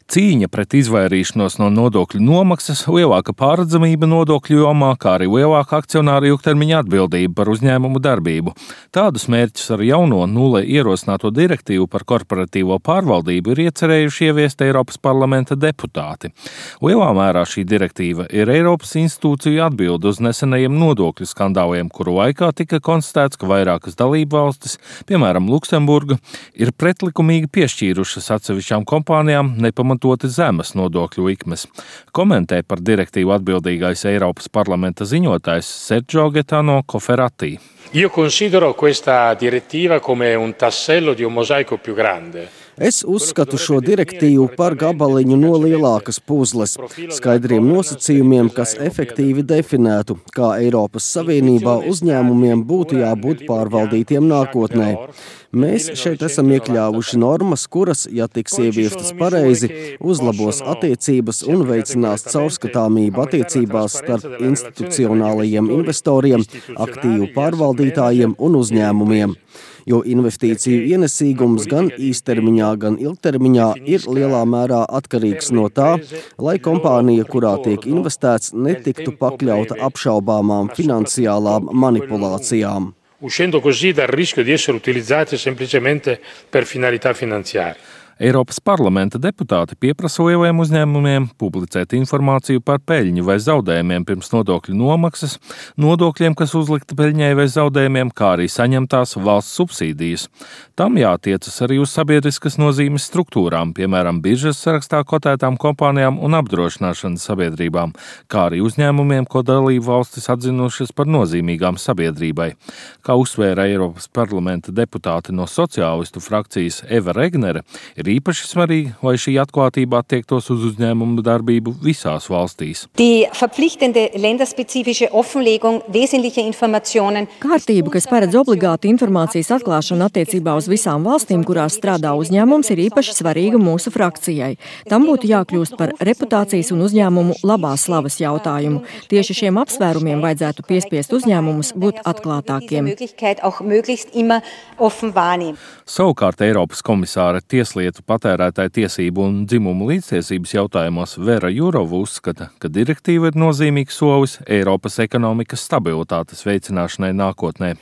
Cīņa pret izvairīšanos no nodokļu nomaksas, lielāka pārredzamība nodokļu jomā, kā arī lielāka akcionāra ilgtermiņa atbildība par uzņēmumu darbību. Tādus mērķus ar jauno nulle ierosināto direktīvu par korporatīvo pārvaldību ir iecerējuši ieviest Eiropas parlamenta deputāti. Lielā mērā šī direktīva ir Eiropas institūciju atbilde uz nesenajiem nodokļu skandāliem, kuru laikā tika konstatēts, ka vairākas dalībvalstis, piemēram Luksemburga, ir pretlikumīgi piešķīrušas atsevišķām kompānijām nepamatoti zemes nodokļu likmes. Komentē par direktīvu atbildīgais Eiropas parlamenta ziņotājs Sergio Gaetano Cofferati. Io considero questa direttiva come un tassello di un mosaico più grande. Es uzskatu šo direktīvu par gabaliņu no lielākas puzles, skaidriem nosacījumiem, kas efektīvi definētu, kā Eiropas Savienībā uzņēmumiem būtu jābūt pārvaldītiem nākotnē. Mēs šeit esam iekļāvuši normas, kuras, ja tiks ieviestas pareizi, uzlabos attiecības un veicinās caurskatāmību attiecībās starp institucionālajiem investoriem, aktīvu pārvaldītājiem un uzņēmumiem. Jo investīciju ienesīgums gan īstermiņā, gan ilgtermiņā ir lielā mērā atkarīgs no tā, lai kompānija, kurā tiek investēts, netiktu pakļauta apšaubāmām finansiālām manipulācijām. Uscendo così dal rischio di essere utilizzate semplicemente per finalità finanziarie. Eiropas parlamenta deputāti pieprasa lieliem uzņēmumiem publicēt informāciju par peļņu vai zaudējumiem pirms nodokļu nomaksas, nodokļiem, kas uzlikti peļņai vai zaudējumiem, kā arī saņemtās valsts subsīdijas. Tam jātiecas arī uz sabiedriskas nozīmes struktūrām, piemēram, biržas sarakstā kotētām kompānijām un apdrošināšanas sabiedrībām, kā arī uzņēmumiem, ko dalību valstis atzinušas par nozīmīgām sabiedrībai. Kā uzsvēra Eiropas parlamenta deputāti no sociālistu frakcijas Eva Regnere, ir īpaši svarīgi, lai šī atklātība attiektos uz uzņēmumu darbību visās valstīs. Kārtība, kas paredz obligātu informācijas atklāšanu attiecībā uz visām valstīm, kurās strādā uzņēmums, ir īpaši svarīga mūsu frakcijai. Tam būtu jākļūst par reputācijas un uzņēmumu labās slavas jautājumu. Tieši šiem apsvērumiem vajadzētu piespiest uzņēmumus būt atklātākiem. Savukārt Eiropas komisāre tieslietu, patērētāju tiesību un dzimumu līdztiesības jautājumos Vera Jurova uzskata, ka direktīva ir nozīmīgs solis Eiropas ekonomikas stabilitātes veicināšanai nākotnē.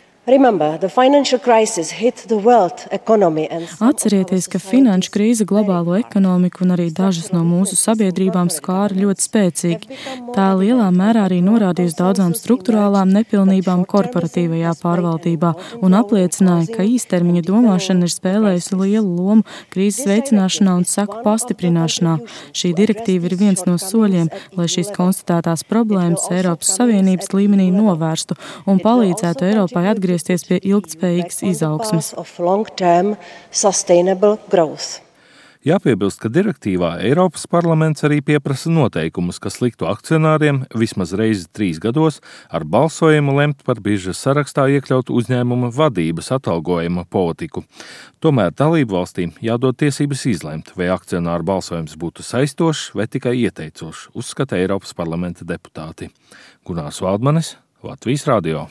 Atcerieties, ka finanšu krīze globālo ekonomiku un arī dažas no mūsu sabiedrībām skāra ļoti spēcīgi. Tā lielā mērā arī norādīja uz daudzām struktūrālām nepilnībām korporatīvajā pārvaldībā un apliecināja, ka īstermiņa domāšana ir spēlējusi lielu lomu krīzes veicināšanā un seku pastiprināšanā. Šī direktīva ir viens no soļiem, lai šīs konstatētās problēmas Eiropas Savienības līmenī novērstu un palīdzētu Eiropai atgriezties pie ilgtspējīgas izaugsmes. Jāpiebilst, ka direktīvā Eiropas parlaments arī pieprasa noteikumus, kas liktu akcionāriem vismaz reizi 3 gados ar balsojumu lemt par biržas sarakstā iekļautu uzņēmuma vadības atalgojuma politiku. Tomēr dalību valstīm jādod tiesības izlemt, vai akcionāru balsojums būtu saistošs vai tikai ieteicošs, uzskata Eiropas parlamenta deputāti. Gunārs Valdmanis, Latvijas radio.